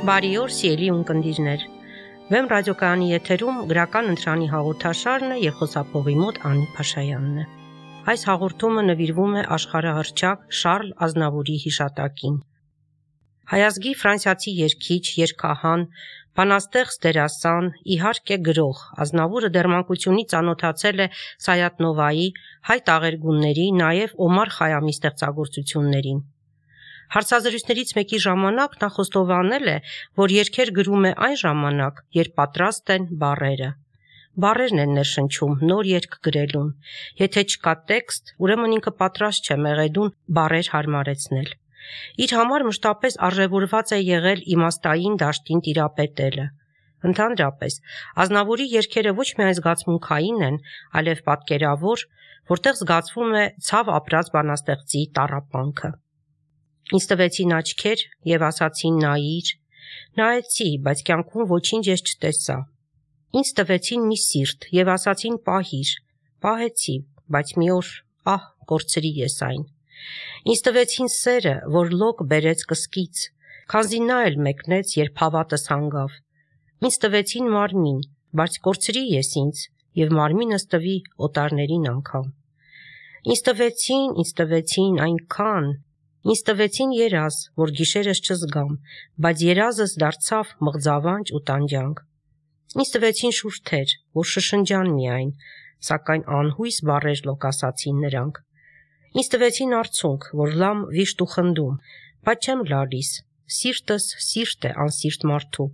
Բարի օր, սիրելի ունկնդիրներ։ Վեմ ռադիոկայանի եթերում գրական ընտրանի հաղորդաշարն է եւ խոսափողի մոտ Անի Փաշայանն է։ Այս հաղորդումը նվիրվում է աշխարհահռչակ Շարլ Ազնավուրի հիշատակին։ Հայազգի ֆրանսիացի երգիչ, երգահան, բանաստեղծ, դերասան, իհարկե գրող Ազնավուրը դեռ մանկությունից ծանոթացել է Սայաթ-Նովայի, հայ տաղերգունների, նաև Օմար Խայամի ստեղծագործություններին։ Հարցազրույցներից մեկի ժամանակ նա խոստովանել է, որ երգեր գրում է այն ժամանակ, երբ պատրաստ են բառերը։ Բառերն են ներշնչում նոր երգ գրելուն։ Եթե չկա տեքստ, ուրեմն ինքը պատրաստ չէ մեղեդուն բառեր հարմարեցնել։ Իր համար մշտապես արժևորված է եղել իմաստային դաշտին տիրապետելը։ Ընդհանրապես, Ազնավուրի երգերը ոչ միայն զգացմունքային են, այլև պատկերավոր, որտեղ զգացվում է ցավ ապրած բանաստեղծի տառապանքը։ Ինձ տվեցին աչքեր եւ ասացին նայիր, նայեցի, բայց կյանքում ոչինչ ես չտեսա։ Ինձ տվեցին մի սիրտ եւ ասացին պահիր, պահեցի, բայց մի օր, կորցրի ես այն։ Ինձ տվեցին սերը, որ լոկ բերեց կսկից, քանզի նա էլ մեկնեց, երբ հավատս հանգավ։ Ինձ տվեցին մարմին, բայց կորցրի ես ինձ եւ մարմինս տվի օտարներին անգամ։ Ինձ տվեցին այնքան, ինձ տվեցին երազ, որ գիշերս չզգամ, բայց երազս դարձավ մղձավանջ ու տանջանք։ Ինձ տվեցին շուրթեր, որ շշնջան միայն, սակայն անհույս բառեր լոկասացին նրանք։ Ինձ տվեցին արցունք, որ լամ վիշտ ու խնդում, բայց չեմ լալիս, սիրտս սիրտ է անսիրտ մարդու։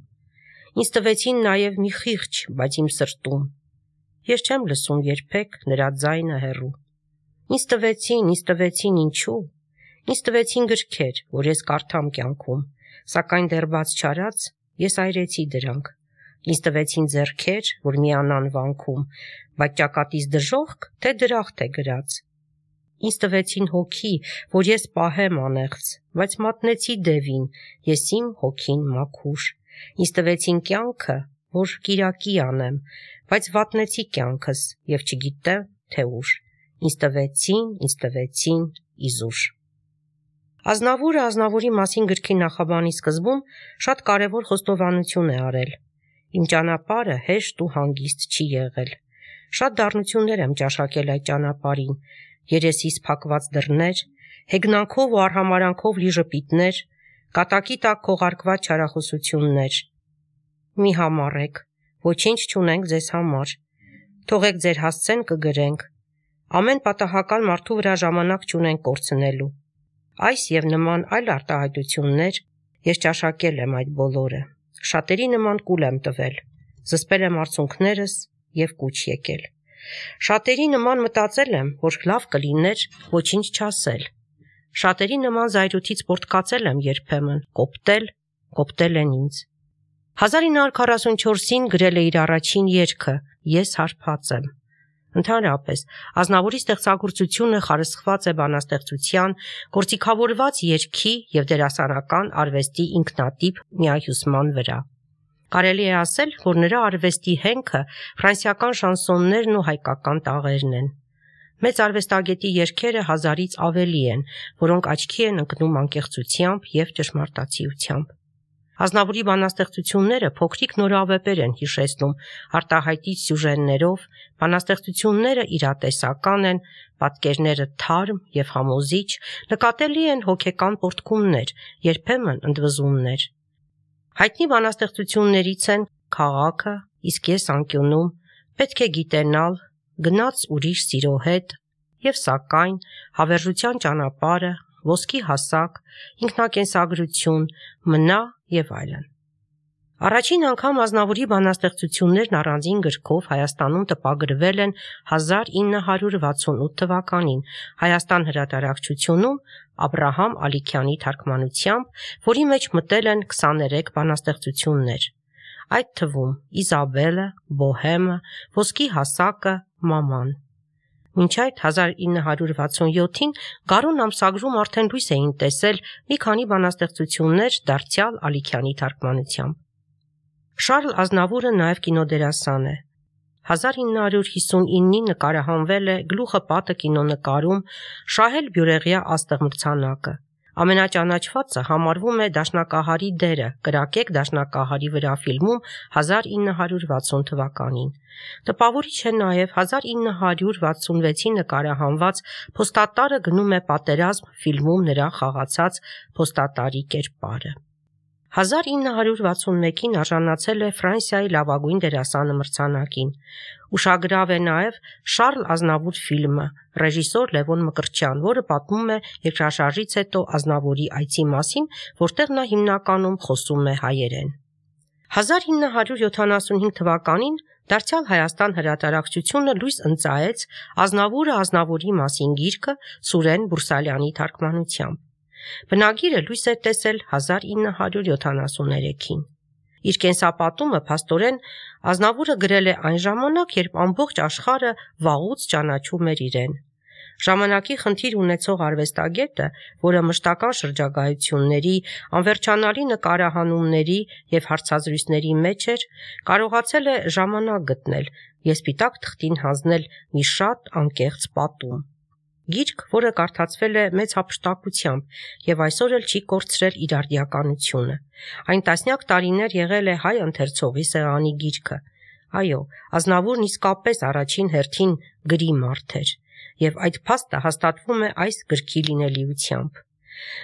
Ինձ տվեցին նաև մի խիղճ, բայց իմ սրտում։ Ես չեմ լսում երբեք նրա ձայնը հեռու։ Ինձ տվեցին ինչու։ Ինձ տվեցին գրքեր, որ ես կարդամ կյանքում, սակայն դեռ բաց չարած ես այրեցի դրանք։ Ինձ տվեցին ձեռքեր, որ միանան վանքում, բայց ճակատից դժոխք, թե դրախտ է գրած։ Ինձ տվեցին հոգի, որ ես պահեմ անեղծ, բայց մատնեցի դևին, ես իմ հոգին մաքուր։ Ինձ տվեցին կյանքը, որ կիրակի անեմ, բայց վատնեցի կյանքս եւ չգիտեմ, թե ուր։ Ինձ տվեցին իզուր։ Ազնավուրը Ազնավուրի մասին գրքի նախաբանի սկզբում շատ կարևոր խոստովանություն է արել։ Իմ ճանապարհը հեշտ ու հանգիստ չի եղել։ Շատ դառնություններ եմ ճաշակել այդ ճանապարհին, երեսիս փակված դռներ, հեգնանքով ու արհամարանքով լի ժպիտներ, կատակի տակ քողարկված չարախոսություններ։ Մի համառեք, ոչինչ չունենք ձեզ համար։ Թողեք ձեր հասցեն կգրենք։ Ամեն պատահական մարդու վրա ժամանակ չունենք կորցնելու։ Այս եւ նման այլ արտահայտություններ ես ճաշակել եմ այդ բոլորը։ Շատերի նման կուլ եմ տվել, զսպել եմ արցունքներս եւ կուչ եկել։ Շատերի նման մտածել եմ, որ լավ կլիներ ոչինչ չասել։ Շատերի նման զայրույթից պորտկացել եմ երբեմն, կոպտել են ինձ։ 1944-ին գրել է իր առաջին երգը «Ես հարբած եմ»։ Ընդհանրապես, Ազնավուրի ստեղծագործությունը խարսխված է բանաստեղծության, գործիքավորված երգի եւ դերասանական արվեստի ինքնատիպ միահյուսման վրա։ Կարելի է ասել, որ նրա արվեստի հենքը ֆրանսիական շանսոններն ու հայկական տաղերն են։ Մեծ արվեստագետի երգերը 1000-ից ավելի են, որոնք աչքի են ընկնում անկեղծությամբ եւ ճշմարտացիությամբ։ Ազնավուրի բանաստեղծությունները փոքրիկ նորավեպեր են հիշեցնում արտահայտիչ սյուժեներով, բանաստեղծությունները իրատեսական են, պատկերները թարմ եւ համոզիչ, նկատելի են հոգեկան պոռթկումներ, երբեմն ընդվզումներ։ Հայտնի բանաստեղծություններից են «Քաղաքը», «Իսկ ես անկյունում», «Պետք է գիտենալ», «Գնաց ուրիշ սիրո հետ» եւ «Սակայն», «Հավերժության ճանապարհը», «Ոսկի հասակ», «Ինքնակենսագրություն», «Մնա» եւ այլն։ Առաջին անգամ Ազնավուրի բանաստեղծություններն առանձին գրքով Հայաստանում տպագրվել են 1968 թվականին Հայաստան հրատարակչությունում Աբրահամ Ալիքյանի թարգմանությամբ, որի մեջ մտել են 23 բանաստեղծություններ։ Այդ թվում Իզաբելը, Բոհեմը, Ոսկի հասակը, Մաման։ Մինչ այդ 1967-ին Գարուն ամսագրում արդեն լույս էին տեսել մի քանի բանաստեղծություններ դարձյալ Ալիքյանի թարգմանությամբ։ Շարլ Ազնավուրը նաև կինոդերասան է։ 1959-ին նկարահանվել է «Գլուխը պատը» կինոնկարում Շահել Բյուրեղյա աստղ մրցանակը։ Ամենաճանաչվածը համարվում է դաշնակահարի դերը կրակեք դաշնակահարի վրա ֆիլմում 1960 թվականին։ Տպավորիչ է նաև 1966-ի նկարահանված «Փոստատարը գնում է պատերազմ» ֆիլմում նրա խաղացած փոստատարի կերպարը։ 1961-ին արժանացել է Ֆրանսիայի լավագույն դերասանը մրցանակին։ Ուշագրավ է նաև Շարլ Ազնավուր ֆիլմը, ռեժիսոր Լևոն Մկրտչյան, որը պատմում է երկրաշարժից հետո Ազնավուրի այցի մասին, որտեղ նա հիմնականում խոսում է հայերեն։ 1975 թվականին Դարձյալ Հայաստան հրատարակչությունը լույս ընծայեց Ազնավուրը Ազնավուրի մասին գիրքը Սուրեն Բուրսալյանի թարգմանությամբ։ Բնագիրը լույս է տեսել 1973-ին։ Իր կենսապատումը փաստորեն Ազնավուրը գրել է այն ժամանակ, երբ ամբողջ աշխարհը վաղուց ճանաչում էր իրեն։ Ժամանակի խնդիր ունեցող արվեստագետը, որը մշտական շրջագայությունների, անվերջանալի նկարահանումների և հարցազրույցների մեջ էր, կարողացել է ժամանակ գտնել և սպիտակ թղթին հանձնել մի շատ անկեղծ պատում։ Գիրք, որը կարդացվել է մեծ հափշտակությամբ և այսօր էլ չի կորցրել իր արդիականությունը։ Այն տասնյակ տարիներ եղել է հայ ընթերցողի սեղանի գիրքը։ Այո, Ազնավուրն իսկապես առաջին հերթին գրի մարդ էր, և այդ փաստը հաստատվում է այս գրքի լինելիությամբ։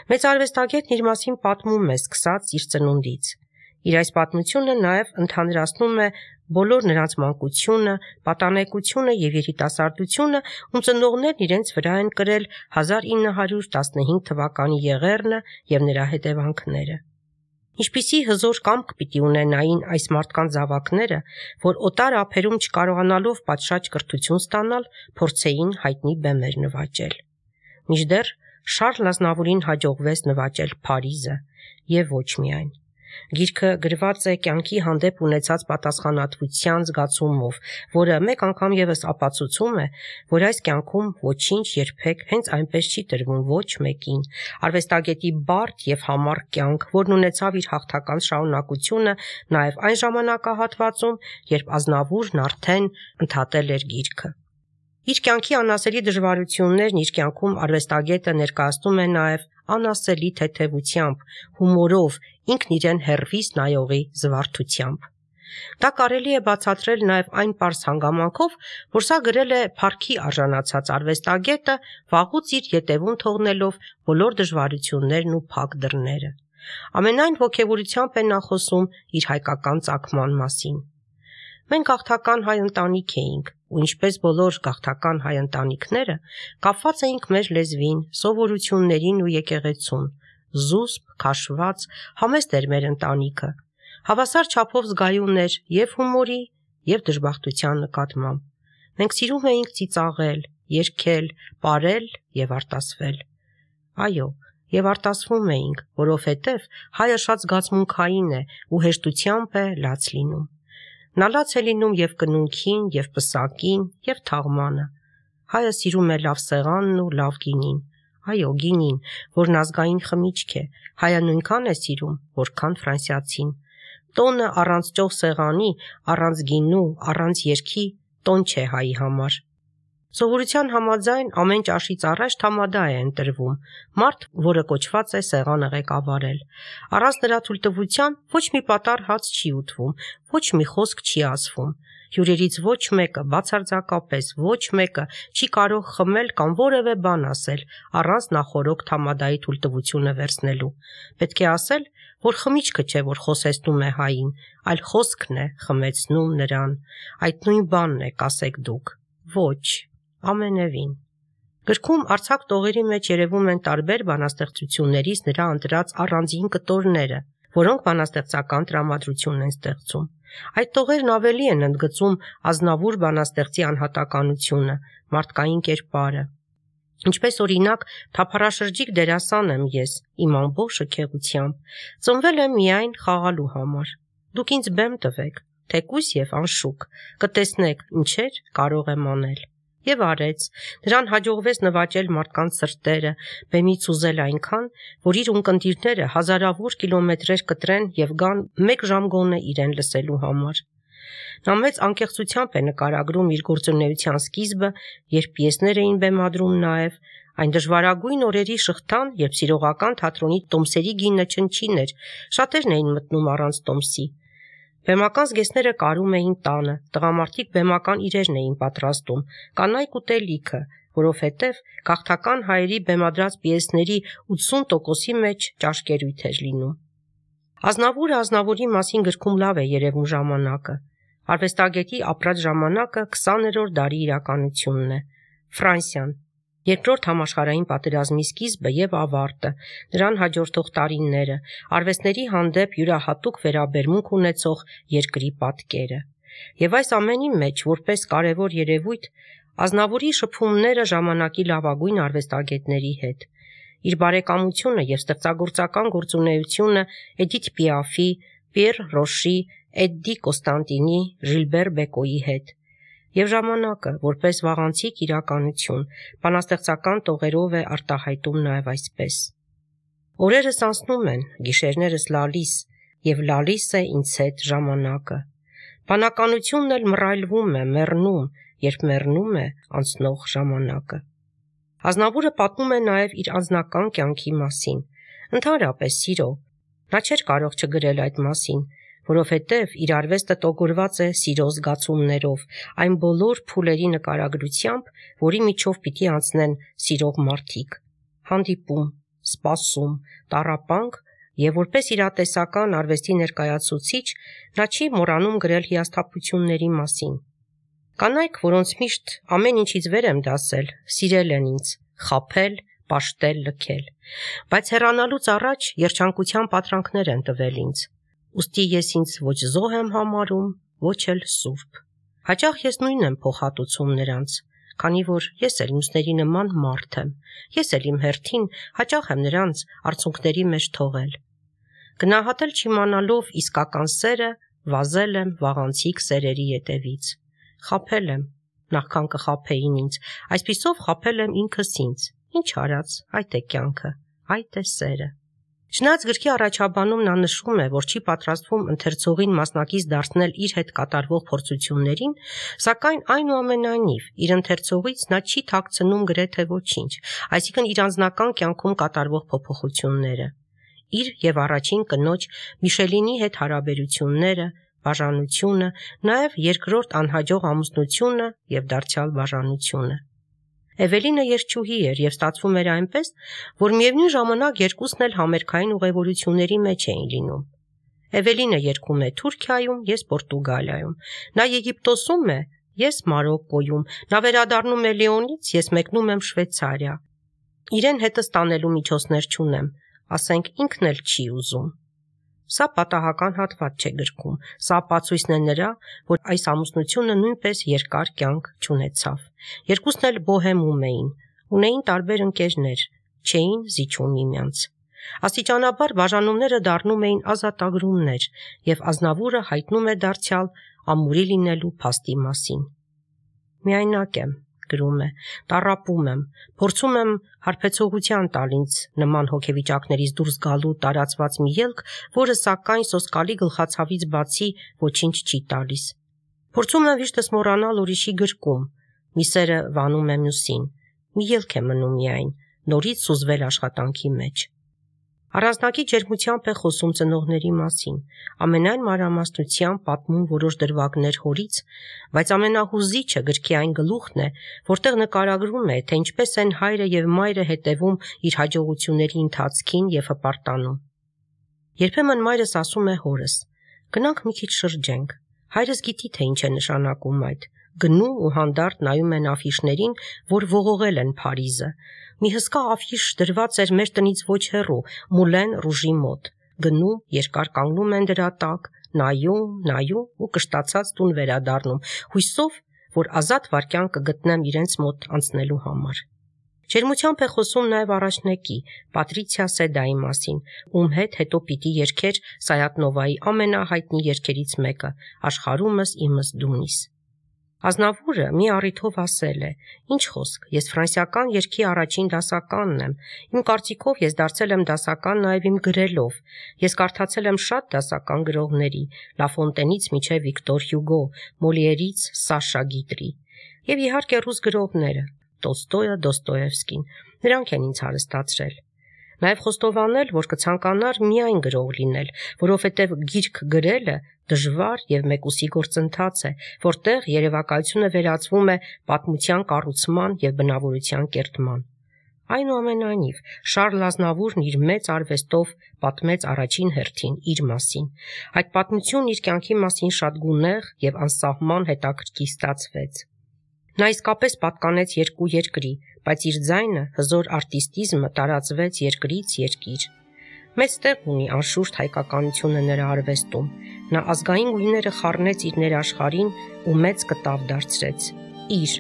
Մեծ արվեստագետն իր մասին պատմում է սկսած իր ծնունդից։ Իր այս պատմությունը նաև ընդհանրացնում է բոլոր նրանց մանկությունը, պատանեկությունը և երիտասարդությունը, ում ծնողներն իրենց վրա են կրել 1915 թվականի եղեռնը և նրա հետևանքները։ Ինչպիսի հզոր կամք պիտի ունենային այս մարդկանց զավակները, որ օտար ափերում չկարողանալով պատշաճ կրթություն ստանալ, փորձեին հայտնի բեմեր նվաճել։ Մինչդեռ Շարլ Ազնավուրին հաջողվեց նվաճել Փարիզը և ոչ միայն։ Գիրքը գրված է կյանքի հանդեպ ունեցած պատասխանատվության զգացումով, որը մեկ անգամ ևս ապացուցում է, որ այս կյանքում ոչինչ երբեք հենց այնպես չի տրվում ոչ մեկին։ Արվեստագետի բարդ և համառ կյանք, որն ունեցավ իր հաղթական շարունակությունը նաև այն ժամանակահատվածում, երբ Ազնավուրն արդեն ընդհատել էր գիրքը։ Իր կյանքի անասելի դժվարություններն իր կյանքում արվեստագետը ներկայացնում է նաև անասելի թեթևությամբ, հումորով, ինքն իրեն հեռվից նայողի զվարթությամբ։ Դա կարելի է բացատրել նաև այն պարզ հանգամանքով, որ սա գրել է փառքի արժանացած արվեստագետը, վաղուց իր ետևում թողնելով բոլոր դժվարություններն ու փակ դռները։ Ամենայն ոգևորությամբ է նա խոսում իր հայկական ծագման մասին։ Մենք գաղթական հայ ընտանիք էինք, ու ինչպես բոլոր գաղթական հայ ընտանիքները, կապված էինք մեր լեզվին, սովորություններին ու եկեղեցուն։ Զուսպ, քաշված, համեստ էր մեր ընտանիքը։ Հավասար չափով զգայուն էր և հումորի, և դժբախտության նկատմամբ։ Մենք սիրում էինք ծիծաղել, երգել, պարել և արտասվել։ Այո, և արտասվում էինք, որովհետև հայը շատ զգացմունքային է ու հեշտությամբ է լաց լինում։ Նա լաց է լինում և կնունքին, և պսակին, և թաղմանը։ Հայը սիրում է լավ սեղանն ու լավ գինին։ Այո, գինին, որն ազգային խմիչք է, հայը նույնքան է սիրում, որքան ֆրանսիացին։ Տոնը առանց ճոխ սեղանի, առանց գինու, առանց երգի տոն չէ հայի համար։ Սովորության համաձայն ամեն ճաշից առաջ թամադա է ընտրվում, մարդ, որը կոչված է սեղանը ղեկավարել։ Առանց նրա թույլտվության ոչ մի պատառ հաց չի ուտվում, ոչ մի խոսք չի ասվում։ Հյուրերից ոչ մեկը, բացարձակապես ոչ մեկը չի կարող խմել կամ որևէ բան ասել առանց նախօրոք թամադայի թույլտվությունը վերցնելու։ Պետք է ասել, որ խմիչքը չէ, որ խոսեցնում է հային, այլ խոսքն է խմեցնում նրան։ Այդ նույն բանն է, կասեք դուք։ Ոչ, ամենևին։ Գրքում արձակ տողերի մեջ երևում են տարբեր բանաստեղծություններից նրա ընտրած առանձին կտորները, որոնք բանաստեղծական տրամադրություն են ստեղծում։ Այդ տողերն ավելի են ընդգծում Ազնավուր բանաստեղծի անհատականությունը, մարդկային կերպարը։ Ինչպես օրինակ, թափառաշրջիկ դերասան եմ ես, իմ ամբողջ շքեղությամբ, ծնվել եմ միայն խաղալու համար։ Դուք ինձ բեմ տվեք, թեկուզ և անշուք, կտեսնեք ինչեր կարող եմ անել։ Եվ արեց, նրան հաջողվեց նվաճել մարդկանց սրտերը, բեմից ուզել այնքան, որ իր ունկնդիրները հազարավոր կիլոմետրեր կտրեն և գան մեկ ժամ գոնե իրեն լսելու համար։ Նա մեծ անկեղծությամբ է նկարագրում իր գործունեության սկիզբը, երբ պիեսներ էին բեմադրում նաև, Այն դժվարագույն օրերի շղթան, երբ սիրողական թատրոնի տոմսերի գինը չնչին էր, շատերն էին մտնում առանց տոմսի։ Բեմական զգեստները կարում էին տանը, տղամարդիկ բեմական իրերն էին պատրաստում, կանայք ուտելիքը, որովհետև գաղթական հայերի բեմադրած պիեսների 80%-ի մեջ ճաշկերույթ էր լինում։ Ազնավուրը Ազնավուրի մասին գրքում լավ է երևում ժամանակը։ Արվեստագետի ապրած ժամանակը 20-րդ դարի իրականությունն է։ Ֆրանսիան, Երկրորդ համաշխարհային պատերազմի սկիզբը եւ ավարտը, նրան հաջորդող տարիները, արվեստների հանդեպ յուրահատուկ վերաբերմունք ունեցող երկրի պատկերը։ Եվ այս ամենի մեջ, որպես կարևոր երևույթ, Ազնավուրի շփումները ժամանակի լավագույն արվեստագետների հետ։ Իր բարեկամությունը եւ ստեղծագործական գործունեությունը Էդիթ Պիաֆի, Պիեր Ռոշի, Էդդի Կոստանտինի, Ժիլբեր Բեկոյի հետ։ Եվ ժամանակը, որպես վաղանցիկ իրականություն, բանաստեղծական տողերով է արտահայտում նաև այսպես. Օրերս անցնում են, գիշերներս լալիս, եւ լալիս է ինձ հետ ժամանակը։ Բանականությունն էլ մռայլվում է, մեռնում, երբ մեռնում է անցնող ժամանակը։ Ազնավուրը պատմում է նաև իր անձնական կյանքի մասին, ընդհանրապես սիրո։ Նա չէր կարող չգրել այդ մասին, որովհետև իր արվեստը տոգորված է սիրո զգացումներով, այն բոլոր փուլերի նկարագրությամբ, որի միջով պիտի անցնեն սիրող մարդիկ։ Հանդիպում, սպասում, տառապանք, եւ որպես իրատեսական արվեստի ներկայացուցիչ նա չի մոռանում գրել հիասթափությունների մասին։ Կանայք, որոնց միշտ ամեն ինչից վեր եմ դասել, սիրել են ինձ, խաբել, պաշտել, լքել, բայց հեռանալուց առաջ երջանկության պատրանքներ են տվել ինձ։ Ուստի ես ինձ ոչ զոհ եմ համարում, ոչ էլ սուրբ։ Հաճախ ես նույնն եմ փոխհատուցում նրանց, քանի որ ես էլ մյուսների նման մարդ եմ, ես էլ իմ հերթին հաճախ եմ նրանց արցունքների մեջ թողել։ Գնահատել չիմանալով իսկական սերը, վազել եմ վաղանցիկ սերերի ետևից։ Խաբել եմ, նախքան կխաբեին ինձ, այսպիսով խաբել եմ ինքս ինձ։ Ինչ արած, այդ է կյանքը, այդ է սերը։ Չնայած գրքի առաջաբանում նա նշում է, որ չի պատրաստվում ընթերցողին մասնակից դարձնել իր հետ կատարվող փորձություններին, սակայն այնուամենայնիվ իր ընթերցողից նա չի թաքցնում գրեթե ոչինչ, այսինքն իր անձնական կյանքում կատարվող փոփոխությունները, իր եւ առաջին կնոջ Միշելինի հետ հարաբերությունները, բաժանությունը, նաև երկրորդ անհաջող ամուսնությունը եւ դարձյալ բաժանությունը։ Էվելինը երգչուհի էր եւ ստացվում էր այնպես, որ միևնույն ժամանակ երկուսն էլ համերգային ուղևորությունների մեջ էին լինում։ Էվելինը երգում է Թուրքիայում, ես Պորտուգալիայում, նա Եգիպտոսում է, ես Մարոկկոյում, նա վերադառնում է Լիոնից, ես մեկնում եմ Շվեյցարիա։ Իրեն հետս տանելու միջոցներ չունեմ, ասենք ինքն էլ չի ուզում։ Սա պատահական հատված չէ գրքում, սա ապացույցն է նրա, որ այս ամուսնությունը նույնպես երկար կյանք չունեցավ։ Երկուսն էլ բոհեմում էին, ունեին տարբեր ընկերներ, չէին զիջում միմյանց։ Աստիճանաբար բաժանումները դառնում էին ազատագրումներ, եւ Ազնավուրը հայտնում է դարձյալ ամուրի լինելու փաստի մասին։ Միայնակ եմ, գրում է, տառապում եմ, փորձում եմ հարբեցողության տալ ինձ նման հոգեվիճակներից դուրս գալու տարածված մի ելք, որը սակայն սոսկալի գլխացավից բացի ոչինչ չի տալիս։ Փորձում եմ վիշտս մոռանալ ուրիշի գրկում, մի սերը վանում է մյուսին, մի ելք է մնում միայն, նորից սուզվել աշխատանքի մեջ։ Առանձնակի ջերմությամբ է խոսում ծնողների մասին, ամենայն մանրամասնությամբ պատմում որոշ դրվագներ հորից, բայց ամենահուզիչը գրքի այն գլուխն է, որտեղ նկարագրում է, թե ինչպես են հայրը եւ մայրը հետևում իր հաջողությունների ընթացքին եւ հպարտանում։ Երբեմն մայրս ասում է հորս. «Գնանք մի քիչ շրջենք»։ Հայրս գիտի, թե ինչ է նշանակում այդ։ Գնում ու հանդարտ նայում են աֆիշներին, որ ողողել են Փարիզը։ Մի հսկա աֆիշ դրված էր մեր տնից ոչ հեռու, Մուլեն Ռուժի մոտ։ Գնում, երկար կանգնում են դրա տակ, նայում ու կշտացած տուն վերադառնում, հույսով, որ ազատ վայրկյան կգտնեմ իրենց մոտ անցնելու համար։ Ջերմությամբ է խոսում նաև առաջնեկի, Պատրիցիա Սեդայի մասին, ում հետ հետո պիտի երգեր Սայաթնովայի ամենահայտնի երգերից մեկը՝ Աշխարհումս իմս դունիս։ Ազնավուրը մի առիթով ասել է. «Ինչ խոսք, ես ֆրանսիական երգի առաջին դասականն եմ, իմ կարծիքով ես դարձել եմ դասական նաև իմ գրելով, ես կարդացել եմ շատ դասական գրողների, Լաֆոնտենից մինչև Վիկտոր Հյուգո, Մոլիերից Սաշա Գիտրի, եւ իհարկե ռուս գրողները, Տոլստոյը, Դոստոևսկին, նրանք են ինձ հարստացրել։ Նաև խոստովանել, որ կցանկանար միայն գրող լինել, որովհետև գիրք գրելը դժվար և մեկուսի գործընթաց է, որտեղ երևակայությունը վերածվում է պատմության կառուցման և բնավորության կերտման։ Այնուամենայնիվ, Շարլ Ազնավուրն իր մեծ արվեստով պատմեց առաջին հերթին իր մասին։ Այդ պատմությունն իր կյանքի մասին շատ գունեղ և անսահման հետաքրքիր ստացվեց։ Նա իսկապես պատկանեց երկու երկրի, բայց իր ձայնը, հզոր արտիստիզմը տարածվեց երկրից երկիր։ Մեծ տեղ ունի անշուշտ հայկականությունը նրա արվեստում։ Նա ազգային գույները խառնեց իր ներաշխարհին ու մեծ կտավ դարձրեց։ Իր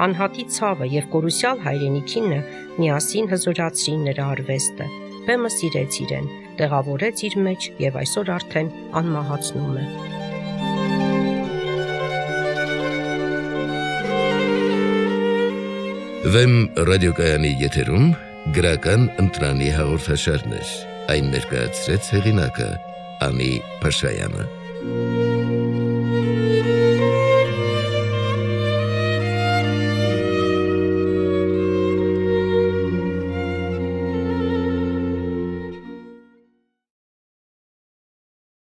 անհատի ցավը և կորուսյալ հայրենիքինը միասին հզորացրին նրա արվեստը։ Բեմը սիրեց իրեն, տեղավորեց իր մեջ և այսօր արդեն անմահացնում է։ Վեմ ռադիոկայանի եթերում գրական ընտրանի հաղորդաշարներ, այն ներկայացրեց հեղինակը Անի Փաշայանը։